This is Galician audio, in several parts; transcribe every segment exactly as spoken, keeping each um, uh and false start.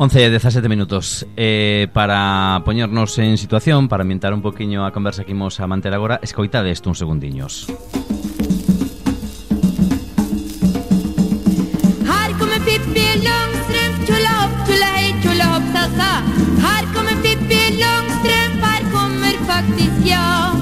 once e dezasete minutos. eh, Para poñernos en situación, para ambientar un poquinho a conversa que imos a manter agora, escoitade isto uns segundiños. Här kommer Pippi Långstrump, tjola hopp, tjola hej, tjola hopp, sasa. Här kommer Pippi Långstrump, här kommer faktiskt jag.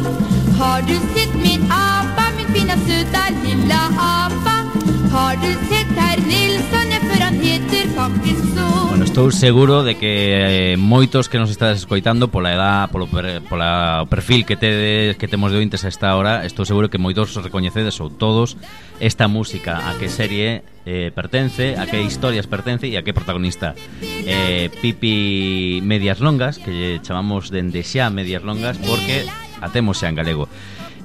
Har du sett min apa, min fina söta lilla apa? Har du sett herr Nilsson, ja, för han heter faktiskt så. Bueno, estou seguro de que eh, moitos que nos estades escoitando pola edad, polo per, pola o perfil que tedes, que temos de ointes a esta hora, estou seguro que moitos os recoñecedes ou todos esta música, a que serie eh, pertence, a que historias pertence e a que protagonista. eh, Pipi Medias Longas, que lle chamamos dende xa Medias Longas porque a temos xa en galego.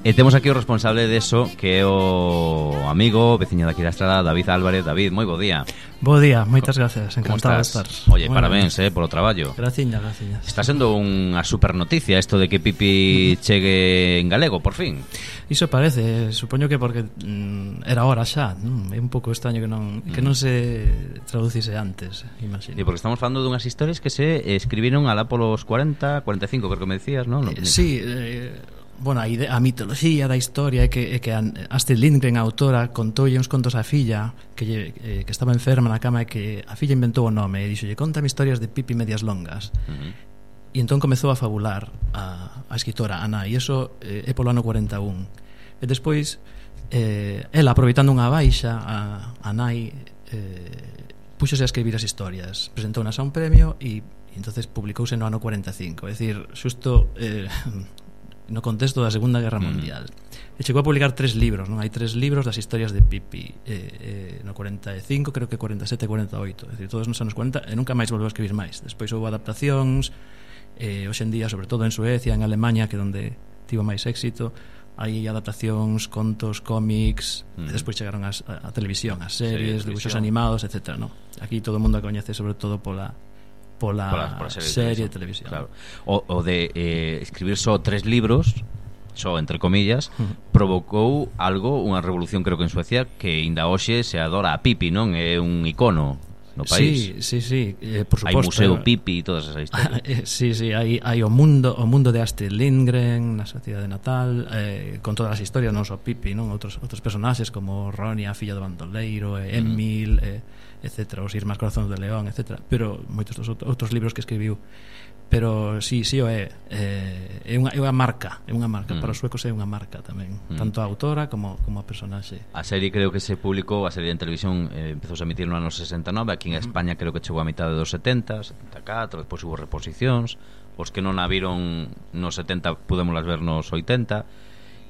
E temos aquí o responsable deso, que é o amigo, veciño daqui da estrada, David Álvarez. David, moi bo día. Bo día, moitas gracias, encantado de estar. Oye, muy parabéns, eh, polo traballo. Graciña, graciña. Está sendo unha super noticia isto de que Pipi chegue en galego, por fin. Iso parece, supoño que porque mm, era hora xa, non? É un pouco extraño que non que non se traducise antes, imagino. E porque estamos falando dunhas historias que se escribiron alá polos cuarenta, cuarenta e cinco, creo que me decías, non? Eh, sí, eh, bueno, a, idea, a mitoloxía da historia é que, é que Astrid Lindgren, a autora, contoulle uns contos á filla que, lle, eh, que estaba enferma na cama e que a filla inventou o nome e dixolle, contame historias de Pipi Medias Longas. Uh-huh. E entón comezou a fabular a, a escritora, a nai, e iso eh, é polo ano cuarenta e un. E despois, eh, ela, aproveitando unha baixa, a, a nai eh, puxose a escribir as historias, presentounas a un premio e, e entonces publicouse no ano cuarenta e cinco, é dicir, xusto eh, no contexto da Segunda Guerra Mundial. Mm. E chegou a publicar tres libros, non? Hai tres libros das historias de Pipi, eh, eh, no cuarenta e cinco, creo que cuarenta e sete e cuarenta e oito, é dicir, todos nos anos cuarenta, e nunca máis volveu a escribir máis. Despois houve adaptacións, eh, hoxe en día, sobre todo en Suecia, en Alemania, que é onde tivo máis éxito, hai adaptacións, contos, cómics, mm. e despois chegaron as, a, a televisión, as series, sí, dibuixos animados, etcétera, non? Aquí todo o mundo a coñece sobre todo pola pola, pola, pola serie, serie de televisión, claro. o, o de eh, escribir só tres libros, só entre comillas, uh-huh. provocou algo, unha revolución, creo que en Suecia, que ainda hoxe se adora a Pipi, non? É un icono no país. Sí, sí, sí, eh, por suposto. Hai museo Pipi e todas esas historias. Sí, sí, hai, hai o mundo o mundo de Astrid Lindgren na Sociedade Natal, eh, con todas as historias, non só Pipi, non? Outros outros personaxes como Ronnie, a filla do bandoleiro, eh, Emil, uh-huh. eh, etcétera, os Irmás Corazones de León, etcétera, pero moitos dos outros libros que escribiu. Pero sí, sí o é, eh, é unha é unha marca, é unha marca mm. para os suecos, é unha marca tamén, mm. tanto a autora como como a personaxe. A serie creo que se publicou, a serie en televisión eh, empezou a emitir no ano sesenta e nove, aquí en mm. España creo que chegou a mitad dos setenta, setenta e catro, despois hubo reposicións, os que non a viron nos setenta pudémolas ver nos oitenta.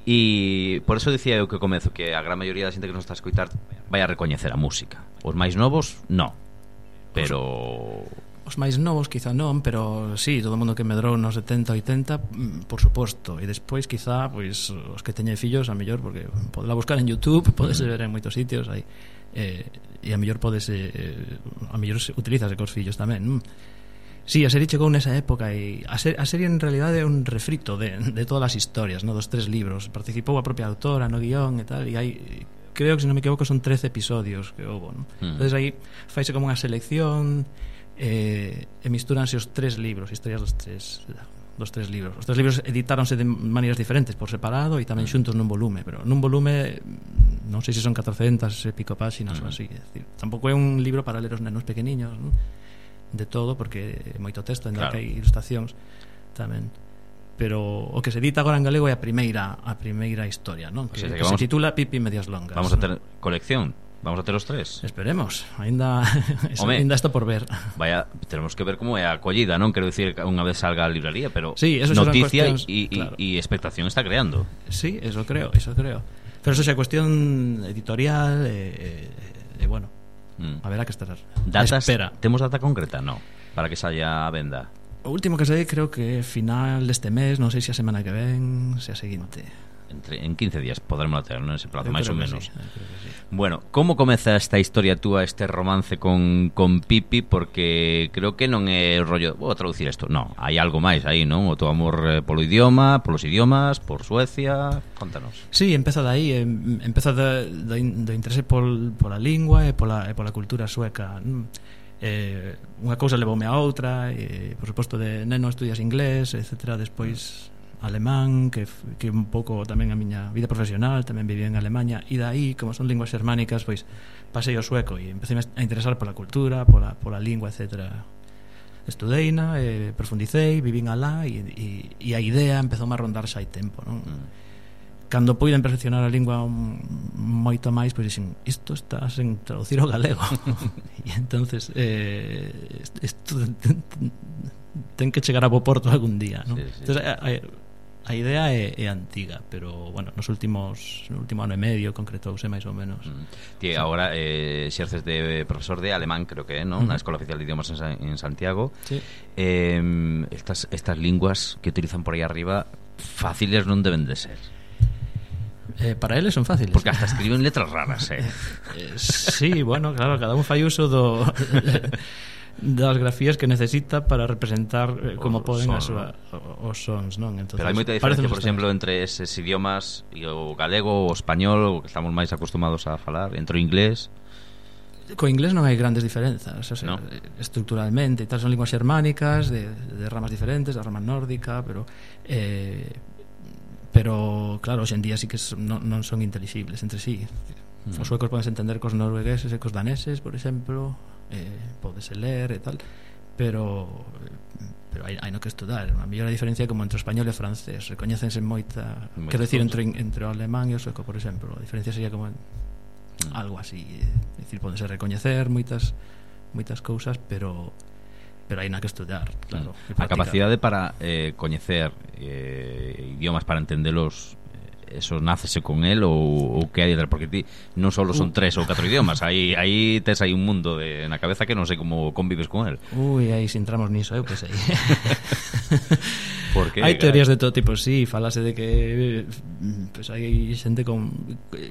E por eso dicía eu que comezo que a gran maioría da xente que nos está a escoitar vai a recoñecer a música. Os máis novos, no. Pero os, os máis novos quizá non, pero sí, todo o mundo que medrou nos setenta, oitenta, por suposto. E despois quizá, pois, os que teñen fillos, a mellor, porque podela buscar en YouTube, podese ver en moitos sitios aí, eh, e a mellor podese eh, a mellor utilizase cos fillos tamén, non? Sí, a serie chegou nesa época e a, ser, a serie en realidade é un refrito de, de todas as historias, no, dos tres libros. Participou a propia autora no guión e tal, e hai, creo que se non me equivoco son trece episodios que houve, ¿no? Mm. Entonces aí faise como unha selección eh, e mistúranse os tres libros, historias dos tres dos tres libros. Os tres libros editáronse de maneiras diferentes, por separado e tamén xuntos nun volume, pero nun volume non sei se son catrocentas e pico páxinas mm. ou así, é dicir, tampouco é un libro para ler os nenos pequeniños, non? De todo, porque é moito texto, ainda claro. Que hai ilustracións tamén, pero o que se edita agora en galego é a primeira a primeira historia, non? Que, o sea, que, que vamos, se titula Pipi Medias Longas. Vamos a ter colección, vamos a ter os tres. Esperemos, ainda ainda está por ver. Vaya, tenemos que ver como é a acollida, non? Quero dicir, unha vez salga a librería, pero sí, noticia e claro. expectación está creando. Sí, eso creo, eso creo. Pero eso é cuestión editorial e, e, e bueno, Mm. a ver a que estar. Datas, espera. Temos data concreta? No, para que saia a venda. O último que sei creo que é final deste mes, non sei se a semana que ven, se a seguinte. Entre, en quince días podremos ter, non? Ese plazo, máis ou menos. Sí, sí. Bueno, como comeza esta historia túa, este romance con, con Pipi? Porque creo que non é rollo, vou traducir isto, non, hai algo máis aí, non? O teu amor eh, polo idioma, polos idiomas, por Suecia, contanos. Sí, empeza dai, empeza do, do, do interese pol, pola lingua e pola, e pola cultura sueca. eh, unha cousa levoume a outra, e, por suposto, de neno estudias inglés, etcétera, despois alemán, que, que un pouco tamén a miña vida profesional, tamén viví en Alemanha, e dai, como son linguas xermánicas, pois pasei ao sueco e empecé a interesar pola cultura, pola, pola lingua, etcétera. Estudeina, eh, profundicei, vivín alá, e, e, e a idea empezou a rondar xa hai tempo, non? Mm. Cando puiden perfeccionar a lingua un, moito máis, pois dixen, isto está sen traducir ao galego. E entonces eh, isto ten que chegar a bo porto algún día, non? Sí, sí. Entonces, a, a, a idea é, é antiga, pero bueno, nos últimos no último ano e medio concretouse máis ou menos. Mm. Ti agora eh, xerces de profesor de alemán, creo que é, non? Na uh-huh. Escola Oficial de Idiomas en, en Santiago. Sí. Eh, estas estas linguas que utilizan por aí arriba fáciles non deben de ser. Eh, para eles son fáciles. Porque hasta escriben letras raras, eh. eh sí, bueno, claro, cada un fai uso do das grafías que necesita para representar eh, como poden as súa, os sons, non? Entonces, pero hai moita diferencia, por exemplo, entre eses idiomas e o galego, o español, o que estamos máis acostumados a falar, entre o inglés. Co inglés non hai grandes diferenzas, o sea, no. Estructuralmente, tal, son linguas xermánicas de, de ramas diferentes, da rama nórdica, pero eh pero claro, hoxe en día sí que son, non, non son intelixibles entre sí. Mm. Os suecos podense entender cos noruegueses e cos daneses, por exemplo, eh, podese ler e tal, pero pero hai, hai no que estudar. A mellor a diferencia como entre o español e o francés, recoñécense moita, moita quero decir, entre, entre o alemán e o sueco, por exemplo, a diferencia sería como mm. algo así, é dicir, podense recoñecer moitas moitas cousas, pero pero hai na que estudar, claro. A capacidade para eh, coñecer eh, idiomas, para entendelos, eso nácese con el ou, ou que hai detrás, porque ti non só son tres ou catro idiomas, aí aí tes aí un mundo de, na cabeza que non sei como convives con el. Ui, aí se entramos niso, eu que sei. Porque hai teorías de todo tipo, sí, falase de que pues hai xente con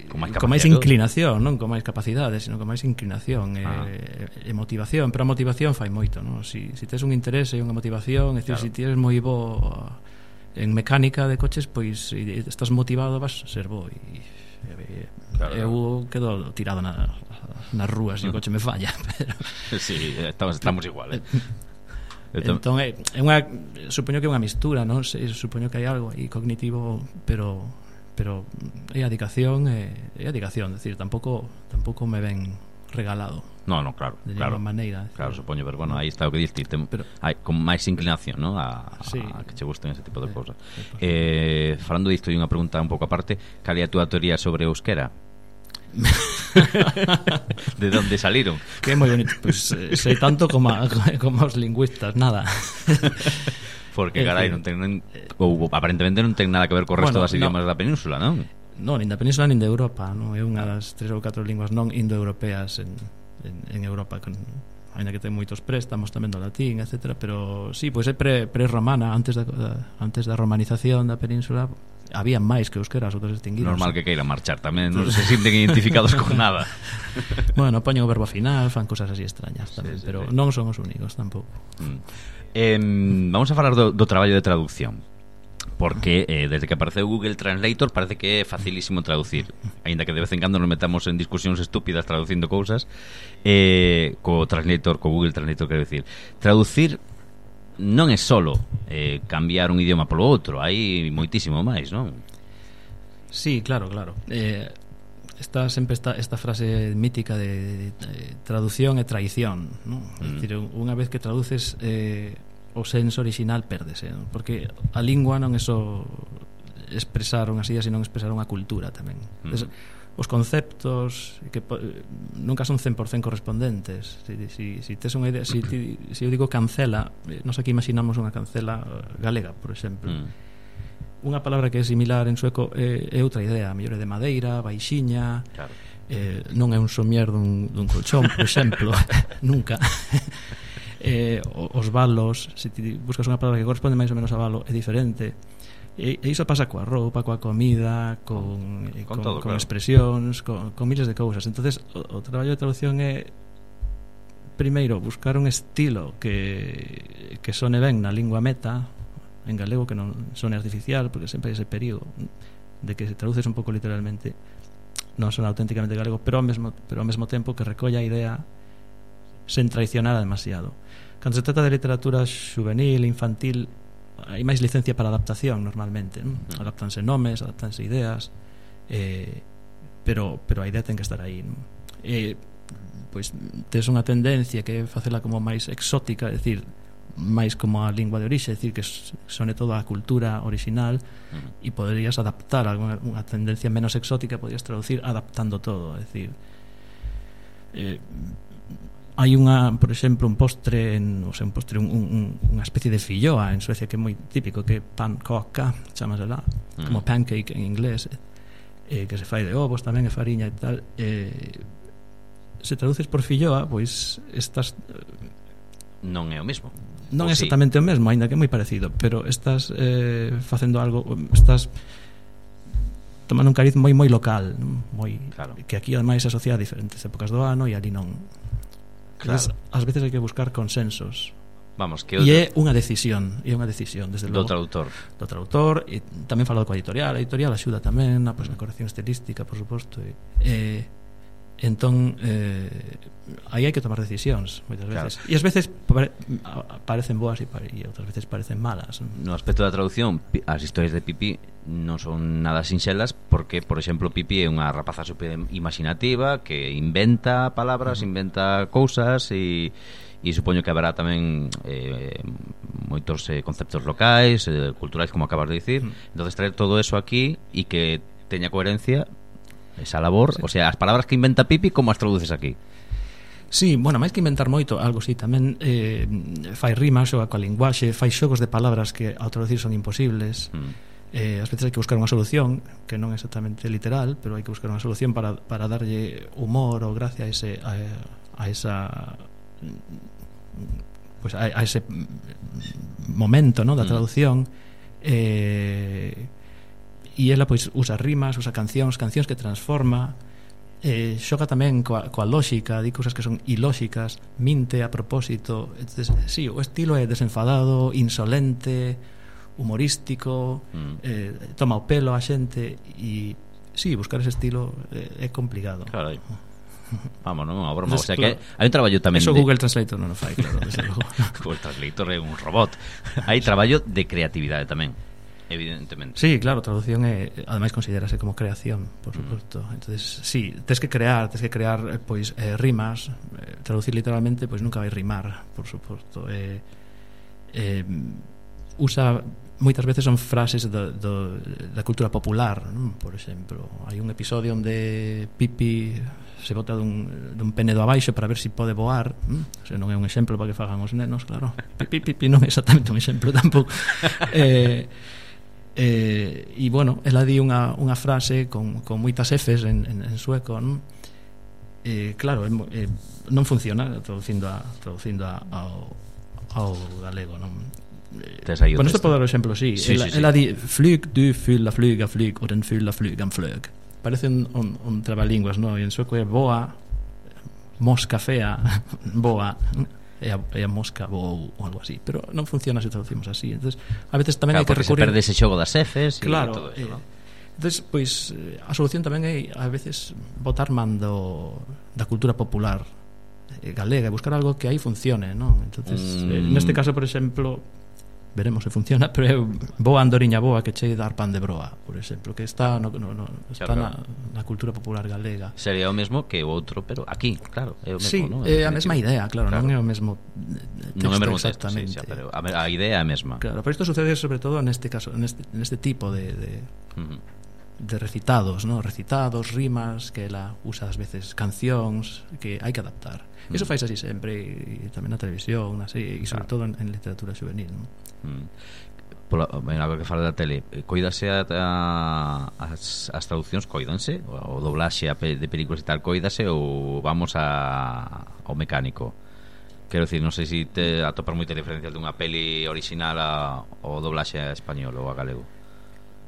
con máis, con máis inclinación, non con máis capacidade, sino con máis inclinación e, ah. e, e motivación, pero a motivación fai moito, non? Si, si tes un interese e unha motivación, é dicir, claro. Si tienes moi bo en mecánica de coches, pois se estás motivado vas a ser bo, e, e claro, eu claro. Quedo tirado na, nas rúas e o coche me falla, pero sí, estamos, estamos igual, eh. Entón é, é unha, supoño que é unha mistura, non? Se, supoño que hai algo aí cognitivo, pero pero é adicación, é, é adicación, decir, tampouco tampouco me ven regalado. No, no, claro, de claro. maneira, claro, supoño, pero bueno, aí está o que diste, pero hai con máis inclinación, ¿no? A, sí, a que che gusten ese tipo de sí, cousas. Eh, falando disto, hai unha pregunta un pouco aparte, cal é a túa teoría sobre o euskera? De onde saliron? Que moi bonito, pues, eh, sei tanto como, a, como os lingüistas, nada. Porque carai, non ten non, ou aparentemente non ten nada que ver co resto bueno, das idiomas no, da península, non? Non, nin da península nin de Europa, non é unha das tres ou catro linguas non indoeuropeas en, en, en Europa, con, ainda que ten moitos préstamos tamén do latín, etcétera, pero sí, pois é pre, pre-romana, antes da, da, antes da romanización da península había máis que euskera, os outros extinguidos. Normal que queiran marchar tamén, non se sinten identificados con nada. Bueno, poñen o verbo final, fan cosas así extrañas tamén, sí, sí, pero sí. Non son os únicos tampouco. Mm. Eh, vamos a falar do, do traballo de traducción, porque eh, desde que apareceu Google Translator parece que é facilísimo traducir, aínda que de vez en cando nos metamos en discusións estúpidas traducindo cousas. Eh, co Translator, co Google Translator, quero decir, traducir non é solo eh, cambiar un idioma polo outro, hai moitísimo máis, non? Sí, claro, claro. Eh, está sempre esta, esta frase mítica de, de, de traducción e traición, non? Mm. É dicir, unha vez que traduces eh, o senso original pérdese, non? Porque a lingua non é só expresar unhas ideas, senón expresar unha cultura tamén. Mm. Entonces, os conceptos que nunca son cen por cen correspondentes. Si, si, si tes unha idea, si, ti, si eu digo cancela, nós aquí imaginamos unha cancela galega, por exemplo. Mm. Unha palabra que é similar en sueco é, é outra idea, a mellor é de madeira, baixiña, claro. eh, non é un somier dun, dun colchón, por exemplo, nunca. eh, os valos, se ti buscas unha palabra que corresponde máis ou menos a valo, é diferente. E, e iso pasa coa roupa, coa comida, con, con, con, todo, con claro. expresións, con, con miles de cousas. Entonces o, o traballo de traducción é primeiro buscar un estilo que, que sone ben na lingua meta, en galego, que non sone artificial, porque sempre hai ese período de que se traduces un pouco literalmente, non sona auténticamente galego, pero ao mesmo, pero ao mesmo tempo que recolla a idea sen traicionar demasiado. Cando se trata de literatura juvenil, infantil, hai máis licencia para adaptación normalmente, non? Uh-huh. Adaptanse nomes, adaptanse ideas, eh, pero, pero a idea ten que estar aí, non? Eh, pois tes unha tendencia que é facela como máis exótica, é dicir, máis como a lingua de orixe, é dicir, que sone toda a cultura original, uh-huh. e poderías adaptar alguna unha tendencia menos exótica, podrías traducir adaptando todo, é dicir, eh, hai unha, por exemplo, un postre en, o sea, un postre, un, un, unha especie de filloa en Suecia que é moi típico, que é pankaka, chamase lá, uh-huh. como pancake en inglés, eh, que se fai de ovos tamén, e fariña e tal. Eh, se traduces por filloa, pois estás, non é o mesmo. Non é exactamente sí? o mesmo, aínda que é moi parecido, pero estás eh, facendo algo, estás tomando un cariz moi moi local, moi, claro. que aquí ademais se asocia a diferentes épocas do ano e ali non. Claro. Entonces, ás veces hai que buscar consensos. Vamos, que e é unha decisión, é unha decisión desde do logo. traductor. Do traductor, e tamén falado coa editorial, a editorial axuda tamén na, pues, na corrección estilística, por suposto. E, eh, entón eh, aí hai que tomar decisións moitas veces, claro. E ás veces pare, parecen boas e, pare, e outras veces parecen malas. No aspecto da traducción, as historias de Pipi non son nada sinxelas, porque, por exemplo, Pipi é unha rapaza super imaginativa que inventa palabras, uh-huh. inventa cousas, e, e supoño que haberá tamén eh, moitos eh, conceptos locais, eh, culturais, como acabas de dicir. Uh-huh. Entonces traer todo eso aquí e que teña coherencia esa labor, sí. O sea, as palabras que inventa Pipi, como as traduces aquí? Sí, bueno, máis que inventar moito, algo sí, tamén eh, fai rimas, xoga coa linguaxe, fai xogos de palabras que ao traducir son imposibles. Mm. Eh, ás veces hai que buscar unha solución que non é exactamente literal, pero hai que buscar unha solución para, para darlle humor ou gracia a ese a, a esa pues a, a ese momento, ¿no?, da traducción. Mm. Eh e ela pois usa rimas, usa cancións, cancións que transforma, eh, xoga tamén coa, coa lógica, di cousas que son ilóxicas, minte a propósito. Entonces, sí, o estilo é desenfadado, insolente, humorístico, mm. eh, toma o pelo a xente, e sí, buscar ese estilo é, é complicado. Claro. Vamos, non é unha broma. Entonces, o sea, claro, que hai un traballo tamén eso de... Google Translator non o fai, claro, desde logo. Google Translator é un robot. Hai traballo de creatividade tamén, evidentemente. Sí, claro, traducción é, ademais considerase como creación, por suposto. Mm. Entonces, sí, tes que crear, tes que crear pois eh, rimas, eh, traducir literalmente pois nunca vai rimar, por suposto. Eh, eh, usa moitas veces son frases do, do, da cultura popular, non? Por exemplo, hai un episodio onde Pipi se bota dun, dun penedo abaixo para ver se si pode voar, non? O sea, non é un exemplo para que fagan os nenos, claro. Pipi, Pipi non é exactamente un exemplo tampouco. eh Eh, e bueno, ela di unha, unha frase con, con moitas Fs en, en, en sueco, non? Eh, claro, eh, non funciona traducindo a, traducindo a, ao, ao galego, non? Eh, bueno, isto pode dar o exemplo, sí, sí, ela, sí, sí. ela di flyg, du, fylla, flyga, flyg og den fylla, flygan, flög. Parece un, un, un trabalingüas, non? E en sueco é boa, mosca fea, boa, e a, e a mosca ou algo así, pero non funciona se traducimos así. Entonces, a veces tamén claro, hai que recurrir, se perde ese xogo das Fs, claro, e todo eso, eh, ¿no? Entonces, pois a solución tamén é a veces botar man do, da cultura popular eh, galega, buscar algo que aí funcione, non? Entonces, mm. eh, neste caso, por exemplo, veremos se funciona, pero é boa andoriña boa que che dar pan de broa, por exemplo, que está no, no, no, está claro, na, na cultura popular galega. Sería o mesmo que o outro, pero aquí, claro, é o mesmo, sí, ¿no? É a mesma idea, claro, claro, non é o mesmo texto, non é o mesmo exactamente, texto, sí, sí, pero a, a idea é a mesma. Claro, pero isto sucede sobre todo neste caso, neste, neste tipo de, de, uh-huh. de recitados, ¿no? Recitados, rimas, que ela usa ás veces cancións que hai que adaptar. Iso uh-huh. fais así sempre, e tamén na televisión, na serie, e sobre claro. todo en, en literatura juvenil, ¿no? Mm. Pola, a ver que fala da tele, coídase a, a, as, as traduccións, coídanse o, o doblaxe a pe, de películas e tal, coídase ou vamos a, ao mecánico? Quero dicir, non sei se si te atopar moita diferencia dunha peli original a, o doblaxe a español ou a galego.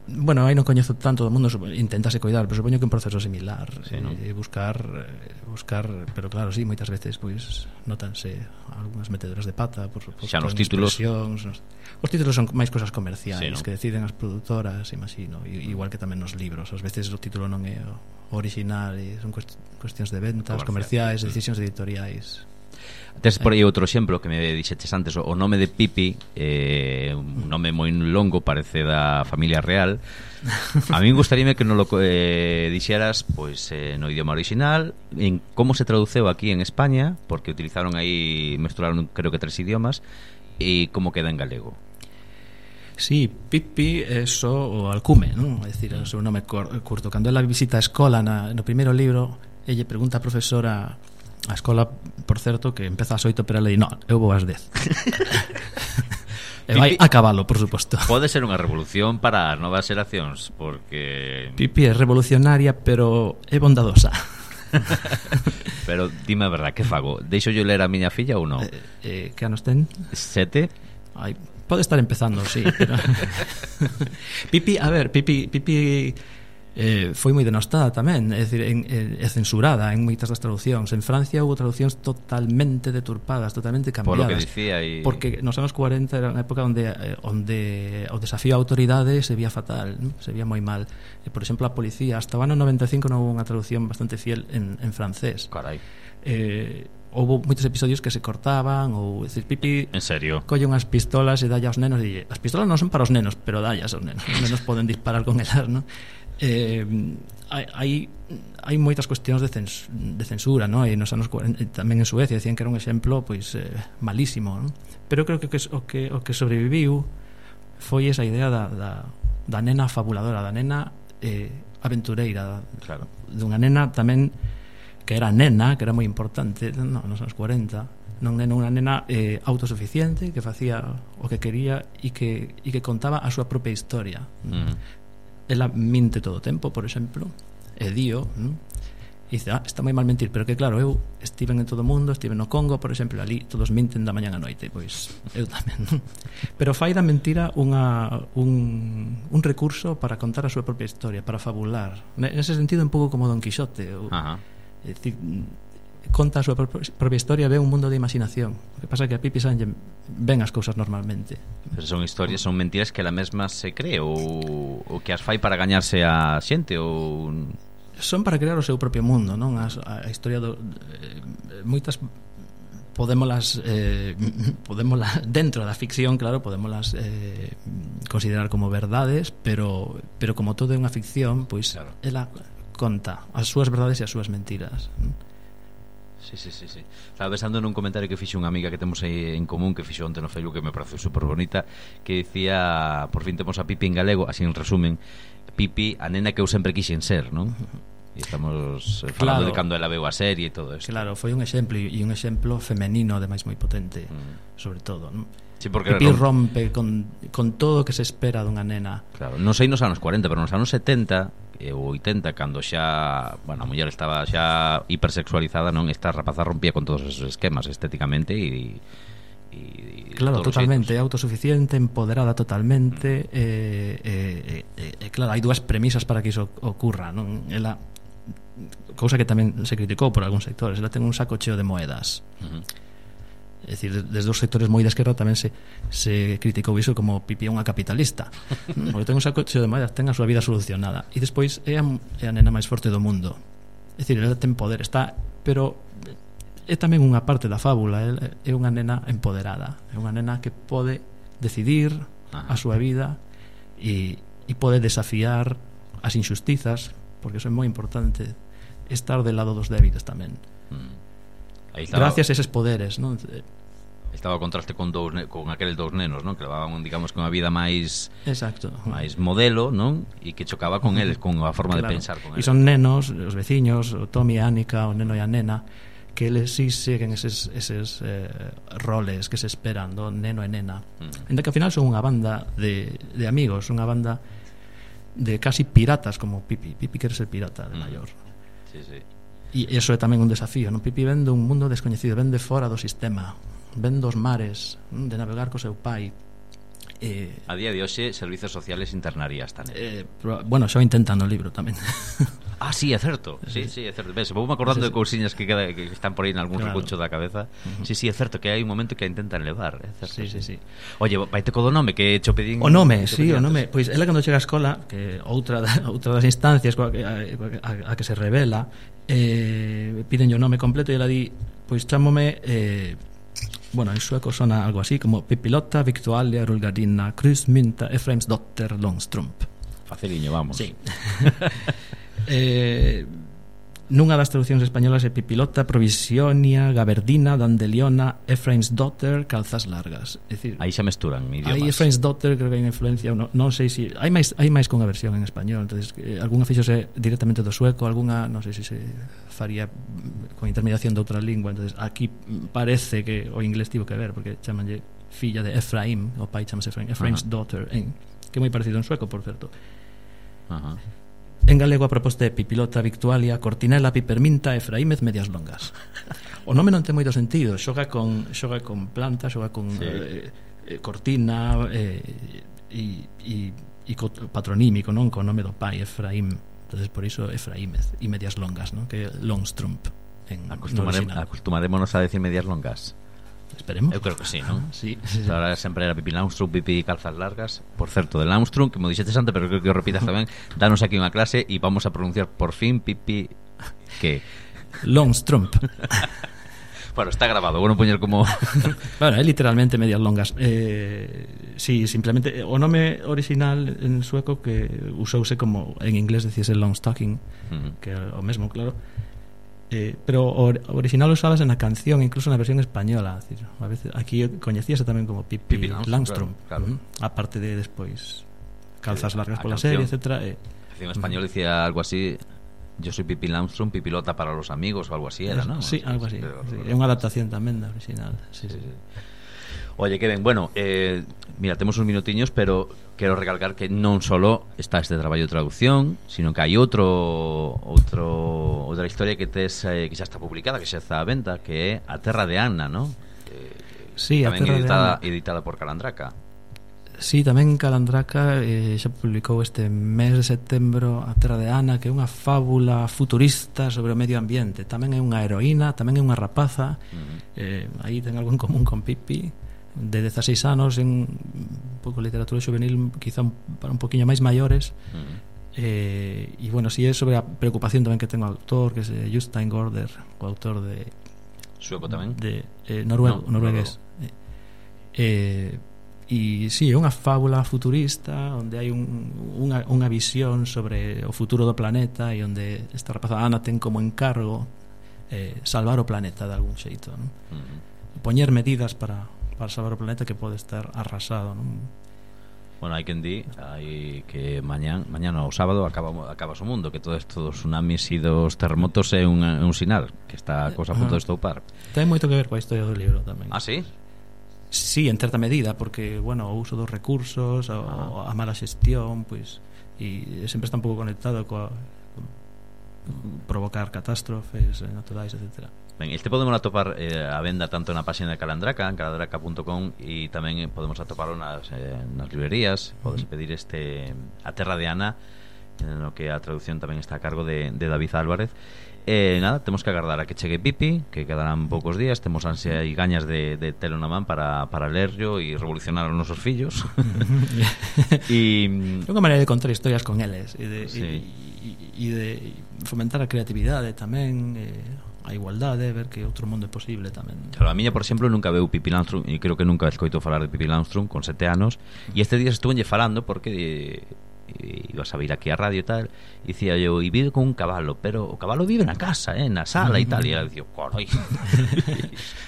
Bueno, aí non coñezo tanto do mundo, intentase coidar, pero supoño que un proceso similar, sí, ¿no? eh, buscar buscar, pero claro, sí, moitas veces pois notanse algunhas metedoras de pata, por suposto, xa nos títulos. Nos, os títulos son máis cosas comerciais, sí, ¿no? Que deciden as produtoras, imagino, igual que tamén nos libros, ás veces o título non é o original e son cuestións de ventas, comerciais, sí. decisións editoriais. Tes por aí outro exemplo que me dixeches antes, o nome de Pipi, eh, un nome moi longo, parece da familia real. A mí gustaríame que non lo eh, dixeras pois eh, no idioma original, en como se traduceu aquí en España, porque utilizaron aí, mezclaron creo que tres idiomas, e como queda en galego. Sí, Pipi é só o alcume, non? É dicir, o seu nome curto. Cando ela visita a escola na, no primeiro libro, ella pregunta a profesora a escola, por certo, que empeza ás oito, pero ela di, no, eu vou ás dez. E vai a cabalo, por suposto. Pode ser unha revolución para as novas xeracións, porque Pipi é revolucionaria, pero é bondadosa. Pero dime a verdad, que fago? Deixo yo ler a miña filla ou non? Eh, eh, que anos ten? Sete? Ai, pode estar empezando, sí, pero... Pipi, a ver, Pipi Pipi eh, foi moi denostada tamén, é dicir, en, é censurada en moitas das traducións. En Francia houve traducións totalmente deturpadas, totalmente cambiadas. Por lo que dicía y... Porque nos anos cuarenta era unha época onde eh, onde o desafío á autoridade se vía fatal, ¿no? Se vía moi mal. E, por exemplo, a policía, hasta o ano noventa e cinco non houve unha traducción bastante fiel en, en francés. Carai. Eh, houve moitos episodios que se cortaban, ou decir, Pipi en serio colle unhas pistolas e dalle aos nenos e as pistolas non son para os nenos, pero dalle aos nenos, os nenos poden disparar con elas, ¿no? Eh, hai hai moitas cuestións de, cens, de censura, ¿no? E nos anos cuarenta, tamén en Suecia decían que era un exemplo pois eh, malísimo, ¿no? Pero creo que o que o que sobreviviu foi esa idea da, da, da nena fabuladora, da nena eh, aventureira, claro, dunha nena tamén que era nena, que era moi importante, no, nos anos cuarenta, non nena, unha nena eh, autosuficiente, que facía o que quería e que, e que contaba a súa propia historia. Mm. Ela minte todo o tempo, por exemplo, e dio, ¿no? E dice, ah, está moi mal mentir, pero que claro, eu estiven en todo o mundo, estiven no Congo, por exemplo, ali todos minten da mañá a noite, pois eu tamén, ¿no? Pero fai da mentira unha, un, un recurso para contar a súa propia historia, para fabular. Nese sentido, un pouco como Don Quixote. O, é dicir, conta a súa propia historia, ve un mundo de imaginación. O que pasa é que a Pipi Sange ven as cousas normalmente. Pero son historias, son mentiras que ela mesma se cree, ou, ou que as fai para gañarse a xente, ou... Son para crear o seu propio mundo, non? A, a historia do... Eh, moitas podémolas eh, podémolas dentro da ficción, claro, podémolas eh, considerar como verdades, pero pero como todo é unha ficción, pois claro, ela conta as súas verdades e as súas mentiras. Sí, sí, sí, sí. Estaba pensando nun comentario que fixo unha amiga que temos aí en común, que fixo onte no Facebook, que me pareceu super bonita, que dicía, por fin temos a Pipi en galego, así en resumen, Pipi, a nena que eu sempre quixen ser, non? E estamos falando claro, de cando ela veu a serie e todo isto. Claro, foi un exemplo, e un exemplo femenino ademais moi potente, mm. sobre todo, non? Sí, porque Pipi rompe con, con todo o que se espera dunha nena. Claro, non sei nos anos cuarenta, pero nos anos setenta ou oitenta, cando xa, bueno, a muller estaba xa hipersexualizada, non, esta rapaza rompía con todos esos esquemas estéticamente e, e claro, totalmente autosuficiente, empoderada totalmente, mm. e, e, e, e claro, hai dúas premisas para que iso ocurra, non? Ela, cousa que tamén se criticou por algúns sectores, ela ten un saco cheo de moedas. Uh-huh. É dicir, desde os sectores moi de esquerda tamén se, se criticou iso como Pipi é unha capitalista. Porque ten un saco cheo de moedas, ten a súa vida solucionada. E despois é a, é a nena máis forte do mundo. É dicir, ela ten poder, está, pero é tamén unha parte da fábula. É unha nena empoderada, é unha nena que pode decidir a súa vida e, e pode desafiar as injustizas, porque iso é moi importante, estar del lado dos débiles tamén. Aí estaba, gracias a eses poderes, non? Estaba o contraste con dous con aqueles dous nenos, non? Que levaban, digamos, con a vida máis exacto, máis modelo, non? E que chocaba con eles, con a forma claro, de pensar con eles. E son nenos, os veciños, o Tommy e Ánica, o neno e a nena, que eles sí seguen eses, eses eh, roles que se esperan do neno e nena. Mm. Ainda que ao final son unha banda de, de amigos, unha banda de casi piratas como Pipi. Pipi quere ser pirata de maior. Mm. Sí, sí. E iso é tamén un desafío, non? Pipi ven dun mundo descoñecido, ven de fora do sistema, ven dos mares, de navegar co seu pai. Eh, a día de hoxe, servizos sociales internarías tamén. Eh, pero, bueno, xa o intentan no libro tamén. Ah, sí, é certo. Sí, sí, é certo. Ves, vou me acordando sí, sí. de cousiñas que, queda, que están por aí en algún claro. recuncho da cabeza. Uh-huh. Sí, sí, é certo que hai un momento que a intentan levar, é certo. Sí, sí, sí. Oye, vaite co do nome que cho pedín. O nome, sí, o nome. Pois ela cando chega á escola, que outra outra das instancias a, a, a que se revela, eh, piden o nome completo e ela di pois chámome eh, bueno, en sueco sona algo así como Pippilotta Victualia Rulgardina Krusmynta Efraimsdotter Långstrump. Faciliño, vamos. Sí. eh, nunha das traduccións españolas é Pippilotta Provisionia Gaberdina Dandeliona Efraimsdotter Calzas Largas. É dicir, aí xa mesturan idiomas. Aí Efraimsdotter creo que hai unha influencia, non, non sei se si, hai máis hai máis con a versión en español, entonces eh, algunha fíxose directamente do sueco, algunha non sei se si se faría con intermediación de outra lingua, entonces aquí parece que o inglés tivo que ver porque chamanlle filla de Efraim, o pai chamase Efraim, Efraimsdotter, en, que é moi parecido en sueco, por certo. Ajá. En galego a proposta é Pipilota Victualia Cortinela Piperminta Efraímez Medias Longas. O nome non ten moito sentido, xoga con xoga con planta, xoga con sí. eh, eh, cortina eh, e e e patronímico, non, con nome do pai Efraim. Entonces por iso Efraímez e Medias Longas, non, que é Långstrump en Acostumare, acostumaremos a decir medias longas. Esperemos. Eu creo que sí, non? Sí, sí, sí. Ahora sempre era Pipi Långstrump, Pipi Calzas Largas. Por certo, de Långstrump, que mo dixetes antes, pero creo que o repitas tamén. Danos aquí unha clase e vamos a pronunciar por fin Pipi que Långstrump. Bueno, está grabado, bueno poñer como bueno, é literalmente medias longas. Eh, sí, simplemente o nome original en sueco que usouse como en inglés decíase long stocking, uh-huh. que é o mesmo, claro. Eh, pero o original usabas en a canción, incluso na versión española, decir, a veces aquí coñecíase tamén como Pipi, Pipi Långstrump, claro, claro. Uh-huh. Aparte de despois Calzas Largas pola serie, etcétera. Eh, en español decía algo así, yo soy Pipi Långstrump, Pipilota para los amigos o algo así era, ¿no? Sí, algo así. Pero, sí, é unha adaptación tamén da original. Sí, sí, sí. Oye, que ben, bueno, eh, mira, temos uns minutiños, pero quero recalcar que non solo está este traballo de traducción, sino que hai outro outro outra historia que tes eh, que xa está publicada, que xa está a venta, que é A Terra de Anna, ¿no? Eh, sí, A Terra editada, de Anna. editada por Calandraca. Sí, tamén Calandraca eh, xa publicou este mes de setembro A Terra de Anna, que é unha fábula futurista sobre o medio ambiente. Tamén é unha heroína, tamén é unha rapaza. Uh-huh. eh, aí ten algo en común con Pipi, de dezaseis anos, en un pouco literatura juvenil, quizá un, para un poquinho máis maiores. Uh-huh. eh, e bueno, si é sobre a preocupación tamén que ten o autor, que é Jostein Gaarder, o autor de sueco tamén de eh, noruego, no, noruegués. No, no. eh, e si, sí, é unha fábula futurista onde hai un, unha, unha visión sobre o futuro do planeta e onde esta rapaza Ana ten como encargo eh, salvar o planeta de algún xeito, non? Uh-huh. Poñer medidas para para salvar o planeta que pode estar arrasado, non? Bueno, hai quen di hai que mañán, mañán o sábado acaba, acaba o mundo, que todo isto dos tsunamis e dos terremotos é un, un sinal que está a cosa a punto de estoupar. Ten moito que ver coa historia do libro tamén. Ah, sí? Sí, en certa medida, porque, bueno, o uso dos recursos, o, a mala xestión, pois, e sempre está un pouco conectado coa provocar catástrofes naturais, etcétera. Ben, este podemos atopar eh, a venda tanto na página de Calandraca, en calandraca punto com, e tamén podemos atoparlo nas, eh, nas librerías. Podes pedir este A Terra de Anna, no que a traducción tamén está a cargo de, de David Álvarez. E eh, nada, temos que agardar a que chegue Pipi, que quedarán poucos días. Temos ansia e gañas de, de telo na man para, para lerlo e revolucionar os nosos fillos. E é unha maneira de contar historias con eles e de, sí. e, e de fomentar a creatividade tamén, e a igualdade, ver que outro mundo é posible tamén. Claro, a miña, por exemplo, nunca veu Pipi Långstrump, e creo que nunca escoito falar de Pipi Långstrump con sete anos, e este día estuvenlle falando porque eh, ibas a vir aquí a radio e tal, e dicía eu, e vive con un cabalo, pero o cabalo vive na casa, eh, na sala e tal, e ela dicía, corai.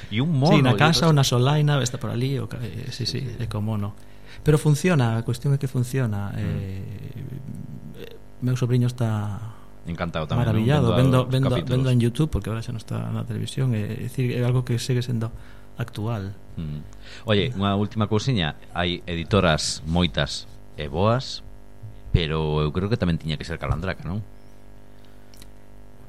E un mono. Sí, na casa ou na solaina, está por ali, o, eh, sí, sí, é como mono. Pero funciona, a cuestión é que funciona. Mm. Eh, meu sobrinho está encantado tamén, maravillado, vendo, vendo, vendo, vendo en YouTube, porque agora xa non está na televisión, é, é, dicir, é algo que segue sendo actual. Mm. Oye, unha última cousiña, hai editoras moitas e boas, pero eu creo que tamén tiña que ser Calandraca, non?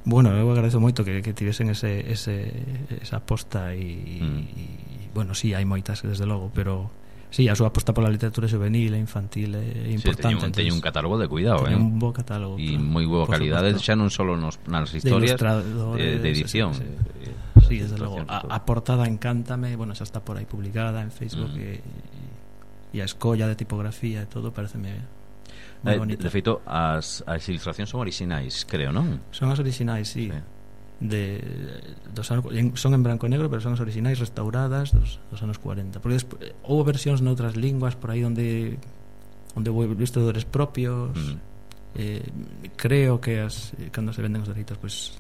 Bueno, eu agradezo moito que, que tivesen ese, ese, esa aposta e, mm. e, bueno, sí, hai moitas desde logo, pero sí, a súa aposta pola literatura juvenil e infantil é importante. Sí, teño un catálogo de cuidado, eh? un bo catálogo e moi boa calidade, xa non só nos, nas historias de, de edición. Sí, sí, sí, desde logo. A, a portada encántame, bueno, xa está por aí publicada en Facebook, mm. e, e a escolla de tipografía e todo pareceme moi bonita. De feito, as, as ilustracións son orixinais, creo, non? Son as orixinais, sí. sí. de dos anos, son en branco e negro, pero son as originais restauradas dos, dos anos cuarenta, porque despois, houve versións noutras linguas por aí onde onde houve ilustradores propios. mm. eh, creo que as, cando se venden os dereitos pois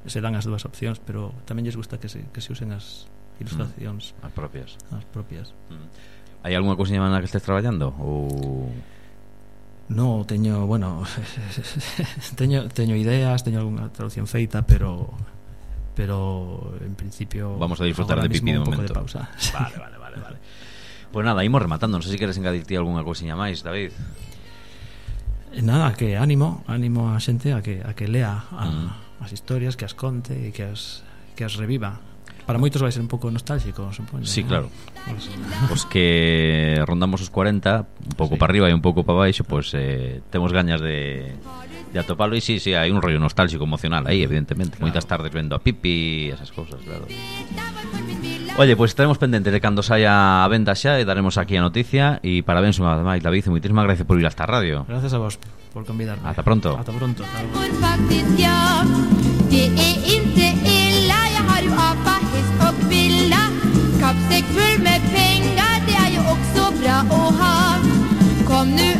pues, se dan as dúas opcións, pero tamén lles gusta que se, que se usen as ilustracións mm. as propias as propias. mm. Hai algunha cousa na que estés traballando ou... No, teño, bueno, teño teño ideas, teño algunha traducción feita, pero pero en principio vamos a disfrutar de Pipi de momento. De pausa. Vale, vale, vale, vale. Pues nada, imos rematando, non sei se queres engadir ti algunha cousiña máis, David. Nada, que ánimo, ánimo a xente a que a que lea a, mm. as historias, que as conte e que as que as reviva. Para moitos vai ser un pouco nostálgico, supoño. Sí, ¿no? claro. Pues, pues que rondamos os cuarenta, un pouco sí. para arriba e un pouco para baixo, pues eh, temos gañas de, de atopalo. E sí, sí, hai un rollo nostálgico emocional aí, evidentemente. Claro. Moitas tardes vendo a Pipi e esas cousas, claro. Oye, pues estaremos pendentes de cando saia a venda xa e daremos aquí a noticia. E parabéns unha vez máis, David, e moitísimas gracias por ir a esta radio. Gracias a vos por convidarme. Hasta pronto. Hasta pronto. Kappsäck full med pengar, det är ju också bra att ha. Kom nu